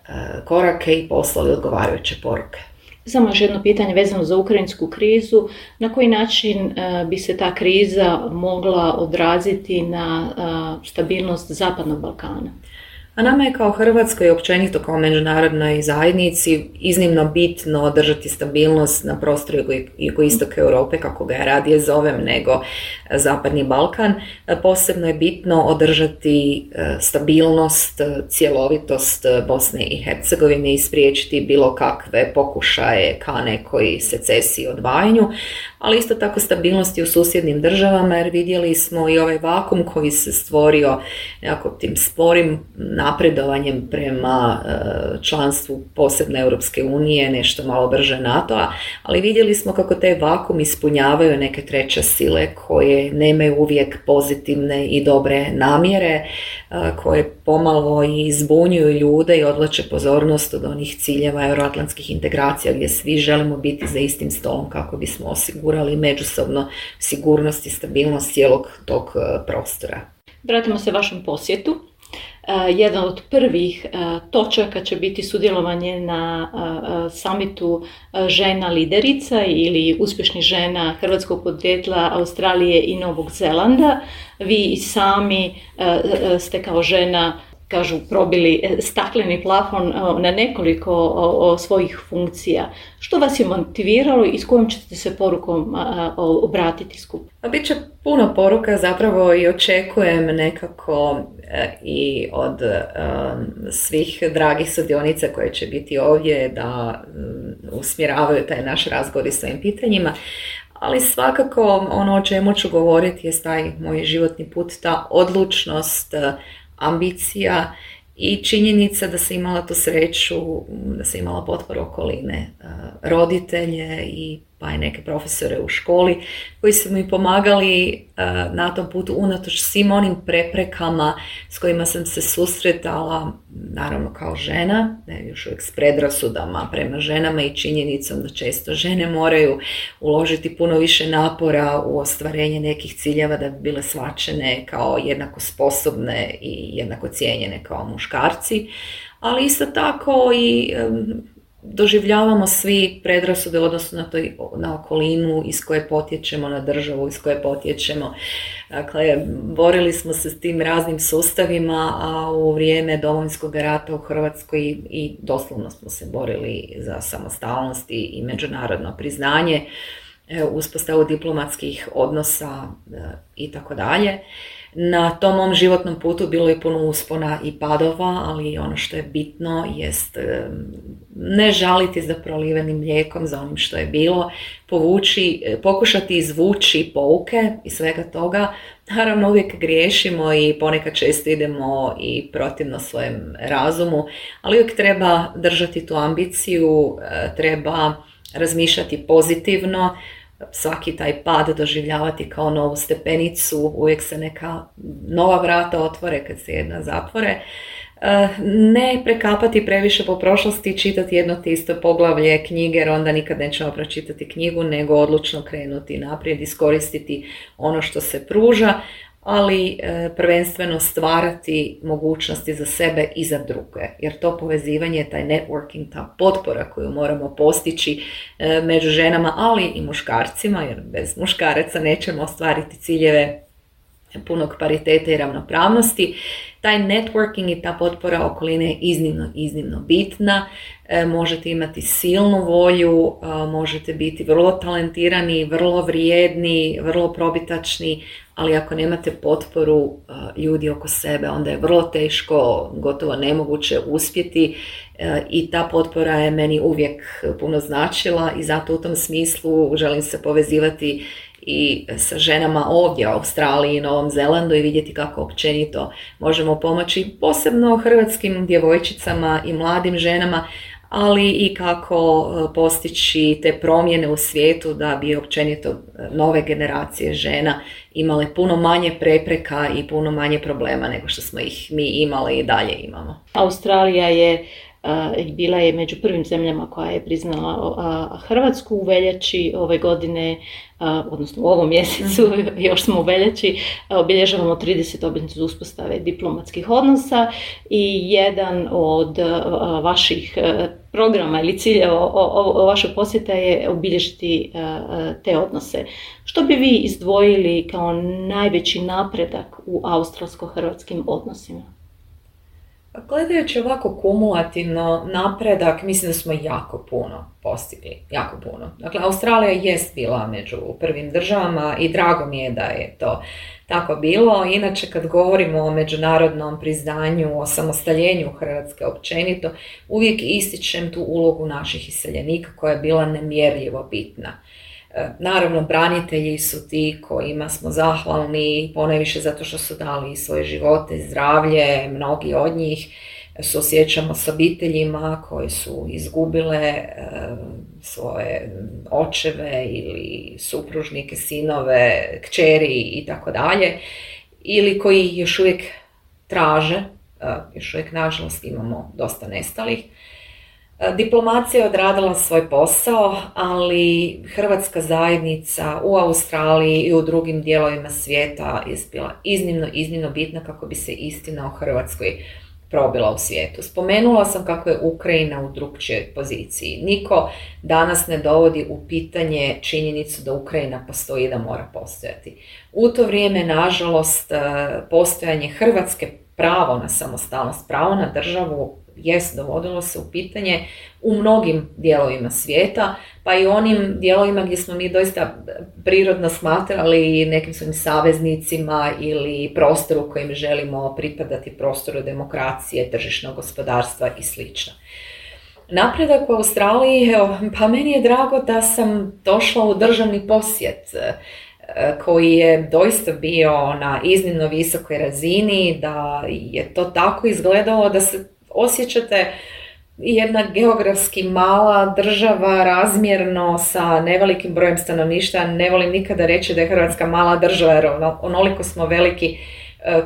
uh, korake i poslali odgovarajuće poruke. Samo još jedno pitanje vezano za ukrajinsku krizu. Na koji način uh, bi se ta kriza mogla odraziti na uh, stabilnost Zapadnog Balkana? A nama je kao Hrvatskoj i općenito kao međunarodnoj zajednici iznimno bitno održati stabilnost na prostoru jugoistoka Europe, kako ga ja radije zovem, nego Zapadni Balkan. Posebno je bitno održati stabilnost, cjelovitost Bosne i Hercegovine i spriječiti bilo kakve pokušaje ka nekoj secesiji, odvajanju, ali isto tako stabilnosti u susjednim državama, jer vidjeli smo i ovaj vakum koji se stvorio nekako tim sporim napredovanjem prema članstvu posebne Europske unije, nešto malo brže NATO-a, ali vidjeli smo kako taj vakum ispunjavaju neke treće sile koje nemaju uvijek pozitivne i dobre namjere, koje pomalo i zbunjuju ljude i odvlače pozornost od onih ciljeva euroatlantskih integracija gdje svi želimo biti za istim stolom kako bismo osigurali međusobno sigurnost i stabilnost cijelog tog prostora. Vratimo se vašem posjetu. Uh, jedan od prvih uh, točaka će biti sudjelovanje na uh, samitu uh, žena liderica ili uspješnih žena hrvatskog podrijetla Australije i Novog Zelanda. Vi i sami uh, ste kao žena, kažu, probili stakleni plafon na nekoliko svojih funkcija. Što vas je motiviralo i s kojom ćete se porukom obratiti skupu? Biće puno poruka zapravo i očekujem nekako i od svih dragih sudionica koje će biti ovdje da usmjeravaju taj naš razgovor i svojim pitanjima. Ali svakako ono o čemu ću govoriti je taj moj životni put, ta odlučnost, ambicija i činjenica da sam imala tu sreću, da sam imala potporu okoline, roditelje i pa i neke profesore u školi koji su mi pomagali na tom putu unatoč svim onim preprekama s kojima sam se susretala, naravno kao žena, ne, još uvijek s predrasudama prema ženama i činjenicom da često žene moraju uložiti puno više napora u ostvarenje nekih ciljeva da bi bile shvaćene kao jednako sposobne i jednako cijenjene kao muškarci, ali isto tako i doživljavamo svi predrasude odnosno na, toj, na okolinu iz koje potječemo, na državu iz koje potječemo. Dakle, borili smo se s tim raznim sustavima, a u vrijeme Domovinskog rata u Hrvatskoj i, i doslovno smo se borili za samostalnost i, i međunarodno priznanje, uspostavu diplomatskih odnosa i tako dalje. Na tom mom životnom putu bilo je puno uspona i padova, ali ono što je bitno jest ne žaliti za prolivenim mlijekom, za onim što je bilo, povući, pokušati izvući pouke i svega toga. Naravno uvijek griješimo i ponekad često idemo i protivno svojem razumu, ali uvijek treba držati tu ambiciju, treba razmišljati pozitivno, svaki taj pad doživljavati kao novu stepenicu, uvijek se neka nova vrata otvore kad se jedna zatvore. Ne prekapati previše po prošlosti i čitati jedno te isto poglavlje knjige, jer onda nikad nećemo pročitati knjigu, nego odlučno krenuti naprijed, iskoristiti ono što se pruža, ali prvenstveno stvarati mogućnosti za sebe i za druge, jer to povezivanje, taj networking, ta potpora koju moramo postići među ženama, ali i muškarcima, jer bez muškaraca nećemo ostvariti ciljeve punog pariteta i ravnopravnosti. Taj networking i ta potpora okoline je iznimno, iznimno bitna. E, možete imati silnu volju, e, možete biti vrlo talentirani, vrlo vrijedni, vrlo probitačni, ali ako nemate potporu e, ljudi oko sebe, onda je vrlo teško, gotovo nemoguće uspjeti e, i ta potpora je meni uvijek puno značila i zato u tom smislu želim se povezivati i sa ženama ovdje u Australiji i Novom Zelandu i vidjeti kako općenito možemo pomoći posebno hrvatskim djevojčicama i mladim ženama, ali i kako postići te promjene u svijetu da bi općenito nove generacije žena imale puno manje prepreka i puno manje problema nego što smo ih mi imali i dalje imamo. Australija je Uh, bila je među prvim zemljama koja je priznala uh, Hrvatsku u veljači ove godine, uh, odnosno u ovom mjesecu, još smo u veljači, uh, obilježavamo tridesetu obljetnicu uspostave diplomatskih odnosa i jedan od uh, vaših uh, programa ili ciljeva vašeg posjeta je obilježiti uh, te odnose. Što bi vi izdvojili kao najveći napredak u australsko-hrvatskim odnosima? Gledajući ovako kumulativno napredak, mislim da smo jako puno postigli, jako puno. Dakle, Australija jest bila među prvim državama i drago mi je da je to tako bilo. Inače, kad govorimo o međunarodnom priznanju, o samostaljenju Hrvatske općenito, uvijek ističem tu ulogu naših iseljenika koja je bila nemjerljivo bitna. Naravno, branitelji su ti kojima smo zahvalni, ponajviše zato što su dali svoje živote, zdravlje, mnogi od njih suosjećamo s obiteljima koje su izgubile e, svoje očeve ili supružnike, sinove, kćeri i tako dalje, ili koji još uvijek traže, e, još uvijek nažalost imamo dosta nestalih. Diplomacija je odradila svoj posao, ali hrvatska zajednica u Australiji i u drugim dijelovima svijeta je bila iznimno, iznimno bitna kako bi se istina o Hrvatskoj probila u svijetu. Spomenula sam kako je Ukrajina u drukčijoj poziciji. Niko danas ne dovodi u pitanje činjenicu da Ukrajina postoji i da mora postojati. U to vrijeme, nažalost, postojanje Hrvatske, pravo na samostalnost, pravo na državu, jest dovodilo se u pitanje u mnogim dijelovima svijeta, pa i onim dijelovima gdje smo mi doista prirodno smatrali nekim svojim saveznicima ili prostoru kojim želimo pripadati, prostoru demokracije, tržišnog gospodarstva i sl. Napredak u Australiji, evo, pa meni je drago da sam došla u državni posjet koji je doista bio na iznimno visokoj razini, da je to tako izgledalo da se osjećate jedna geografski mala država razmjerno sa nevelikim brojem stanovništva. Ne volim nikada reći da je Hrvatska mala država jer onoliko smo veliki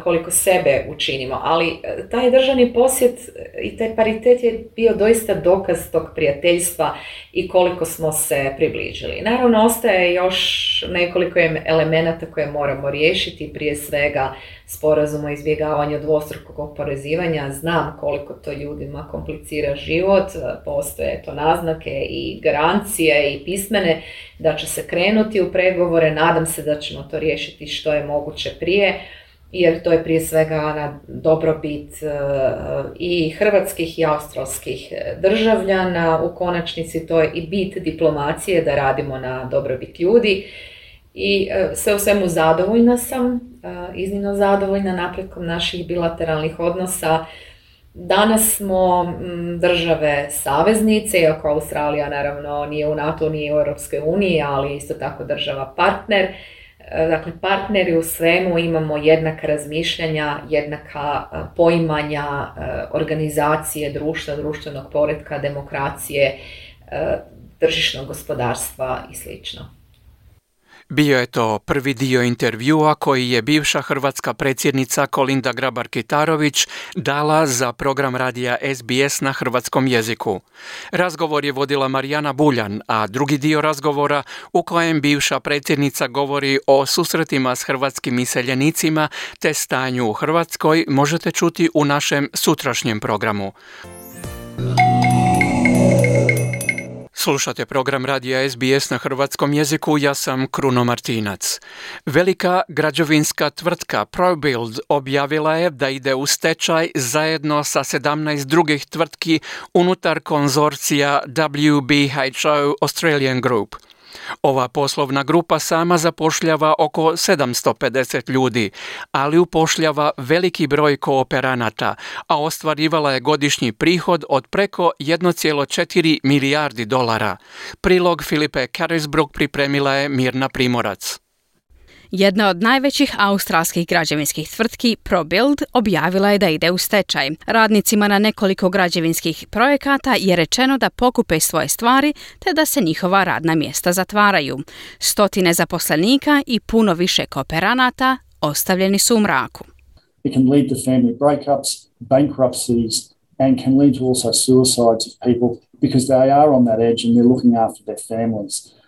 koliko sebe učinimo, ali taj državni posjet i taj paritet je bio doista dokaz tog prijateljstva i koliko smo se približili. Naravno, ostaje još nekoliko elemenata koje moramo riješiti, prije svega sporazum o izbjegavanju dvostrukog oporezivanja. Znam koliko to ljudima komplicira život, postoje to naznake i garancije i pismene da će se krenuti u pregovore, nadam se da ćemo to riješiti što je moguće prije, jer to je prije svega na dobrobit i hrvatskih i australskih državljana. U konačnici to je i bit diplomacije, da radimo na dobrobit ljudi. I sve u svemu zadovoljna sam, iznimno zadovoljna napretkom naših bilateralnih odnosa. Danas smo države saveznice, iako Australija naravno nije u NATO, nije u Europskoj uniji, ali isto tako država partner. Dakle, partneri u svemu, imamo jednaka razmišljanja, jednaka poimanja organizacije društva, društvenog poretka, demokracije, tržišnog gospodarstva i sl. Bio je to prvi dio intervjua koji je bivša hrvatska predsjednica Kolinda Grabar-Kitarović dala za program radija S B S na hrvatskom jeziku. Razgovor je vodila Marijana Buljan, a drugi dio razgovora u kojem bivša predsjednica govori o susretima s hrvatskim iseljenicima te stanju u Hrvatskoj možete čuti u našem sutrašnjem programu. Slušate program radija S B S na hrvatskom jeziku, ja sam Kruno Martinac. Velika građevinska tvrtka ProBuild objavila je da ide u stečaj zajedno sa sedamnaest drugih tvrtki unutar konzorcija W B H O Australian Group. Ova poslovna grupa sama zapošljava oko sedamsto pedeset ljudi, ali upošljava veliki broj kooperanata, a ostvarivala je godišnji prihod od preko jedan zarez četiri milijardi dolara. Prilog Filipe Carisbrook pripremila je Mirna Primorac. Jedna od najvećih australskih građevinskih tvrtki, ProBuild, objavila je da ide u stečaj. Radnicima na nekoliko građevinskih projekata je rečeno da pokupe svoje stvari te da se njihova radna mjesta zatvaraju. Stotine zaposlenika i puno više kooperanata ostavljeni su u mraku. It can lead to family breakups, bankruptcies, and can lead to also suicides of people because they are on that edge and they're looking after their families.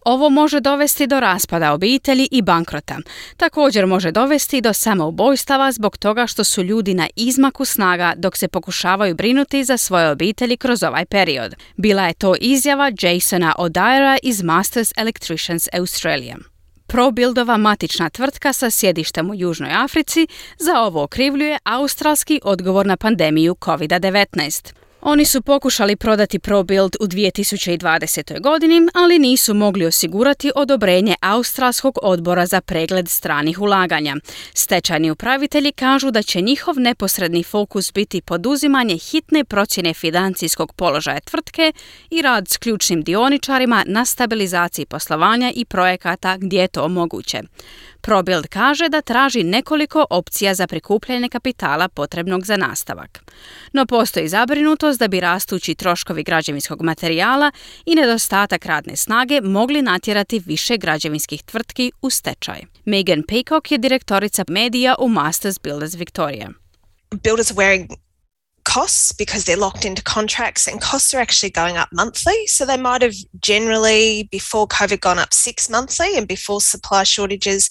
Ovo može dovesti do raspada obitelji i bankrota. Također može dovesti do samoubojstava zbog toga što su ljudi na izmaku snaga dok se pokušavaju brinuti za svoje obitelji kroz ovaj period. Bila je to izjava Jasona O'Dyrea iz Masters Electricians Australia. ProBuildova matična tvrtka sa sjedištem u Južnoj Africi za ovo okrivljuje australski odgovor na pandemiju kovid devetnaest. Oni su pokušali prodati ProBuild u dvije tisuće dvadesetoj godini, ali nisu mogli osigurati odobrenje Australskog odbora za pregled stranih ulaganja. Stečajni upravitelji kažu da će njihov neposredni fokus biti poduzimanje hitne procjene financijskog položaja tvrtke i rad s ključnim dioničarima na stabilizaciji poslovanja i projekata gdje je to moguće. ProBuild kaže da traži nekoliko opcija za prikupljanje kapitala potrebnog za nastavak. No postoji zabrinutost da bi rastući troškovi građevinskog materijala i nedostatak radne snage mogli natjerati više građevinskih tvrtki u stečaj. Megan Peacock je direktorica medija u Masters Builders Victoria. Builders are wearing costs because they're locked into contracts, and costs are actually going up monthly. So they might have generally before COVID gone up six monthly, and before supply shortages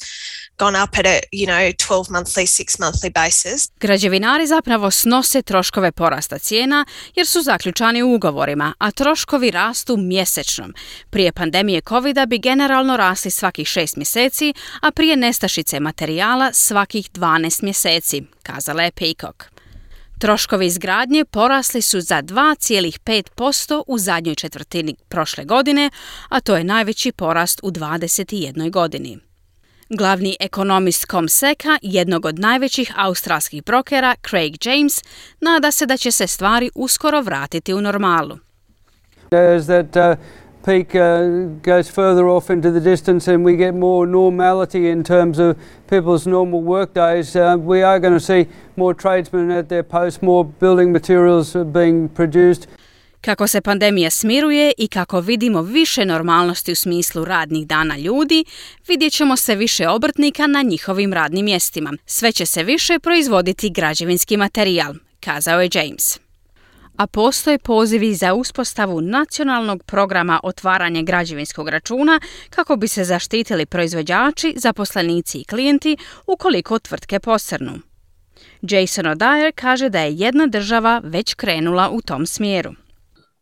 gone up at a, you know, twelve monthly, six monthly basis. Građevinari zapravo snose troškove porasta cijena jer su zaključani u ugovorima, a troškovi rastu mjesečno. Prije pandemije covida bi generalno rasli svakih šest mjeseci, a prije nestašice materijala svakih dvanaest mjeseci, kazala je Peacock. Troškovi izgradnje porasli su za dva zarez pet posto u zadnjoj četvrtini prošle godine, a to je najveći porast u dvadeset jednoj godini. Glavni ekonomist Comseka, jednog od najvećih australskih brokera, Craig James, nada se da će se stvari uskoro vratiti u normalu. As that uh, peak uh, goes further off into the distance and we get more normality in terms of people's normal work days, uh, we are going to see more tradesmen at their posts, more building materials being produced. Kako se pandemija smiruje i kako vidimo više normalnosti u smislu radnih dana ljudi, vidjet ćemo se više obrtnika na njihovim radnim mjestima. Sve će se više proizvoditi građevinski materijal, kazao je James. A postoje pozivi za uspostavu nacionalnog programa otvaranja građevinskog računa kako bi se zaštitili proizvođači, zaposlenici i klijenti ukoliko tvrtke posrnu. Jason O'Dyer kaže da je jedna država već krenula u tom smjeru.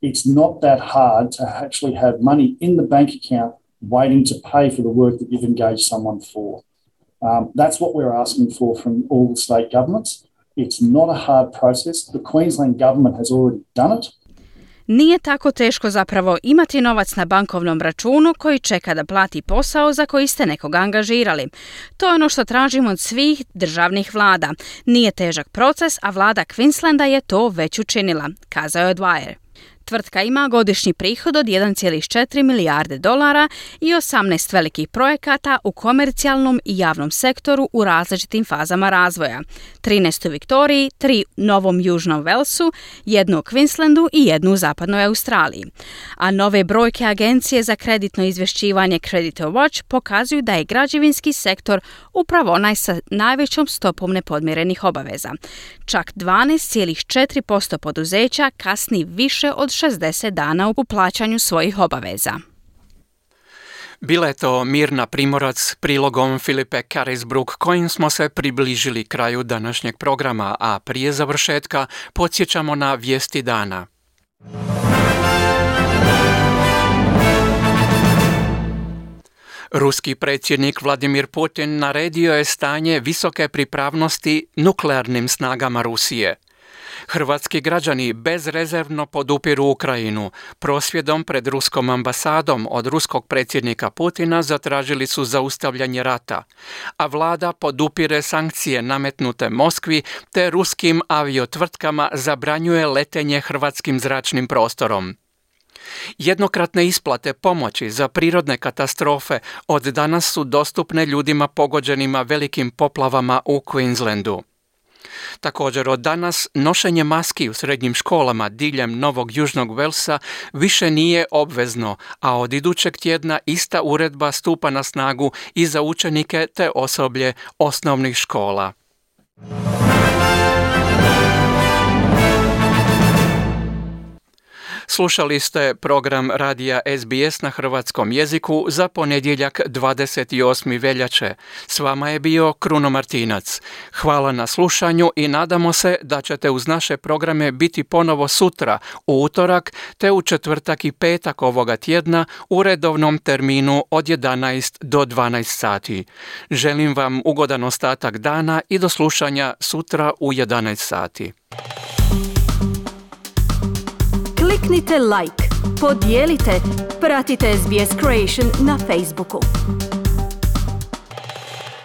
It's not that hard to actually have money in the bank account waiting to pay for the work that you've engaged someone for. Um, that's what we're asking for from all the state governments. It's not a hard process. The Queensland government has already done it. Nije tako teško zapravo imati novac na bankovnom računu koji čeka da plati posao za koji ste nekoga angažirali. To je ono što tražimo od svih državnih vlada. Nije težak proces, a vlada Queenslanda je to već učinila, kazao je Dwyer. Tvrtka ima godišnji prihod od jedan zarez četiri milijarde dolara i osamnaest velikih projekata u komercijalnom i javnom sektoru u različitim fazama razvoja. trinaest u Viktoriji, tri u Novom Južnom Velsu, jednu u Queenslandu i jednu u Zapadnoj Australiji. A nove brojke Agencije za kreditno izvješćivanje Creditor Watch pokazuju da je građevinski sektor upravo onaj sa najvećom stopom nepodmirenih obaveza. Čak dvanaest zarez četiri posto poduzeća kasni više od šezdeset dana u plaćanju svojih obaveza. Bila je to Mirna Primorac prilogom Filipe Carisbrook kojim smo se približili kraju današnjeg programa, a prije završetka podsjećamo na vijesti dana. Ruski predsjednik Vladimir Putin naredio je stanje visoke pripravnosti nuklearnim snagama Rusije. Hrvatski građani bezrezervno podupiru Ukrajinu. Prosvjedom pred ruskom ambasadom od ruskog predsjednika Putina zatražili su zaustavljanje rata, a vlada podupire sankcije nametnute Moskvi te ruskim aviotvrtkama zabranjuje letenje hrvatskim zračnim prostorom. Jednokratne isplate pomoći za prirodne katastrofe od danas su dostupne ljudima pogođenima velikim poplavama u Queenslandu. Također od danas nošenje maski u srednjim školama diljem Novog Južnog Velsa više nije obvezno, a od idućeg tjedna ista uredba stupa na snagu i za učenike te osoblje osnovnih škola. Slušali ste program radija S B S na hrvatskom jeziku za ponedjeljak dvadeset osmi veljače. S vama je bio Kruno Martinac. Hvala na slušanju i nadamo se da ćete uz naše programe biti ponovo sutra, u utorak, te u četvrtak i petak ovoga tjedna u redovnom terminu od jedanaest do dvanaest sati. Želim vam ugodan ostatak dana i do slušanja sutra u jedanaest sati. Kliknite like, podijelite, pratite S B S Creation na Facebooku.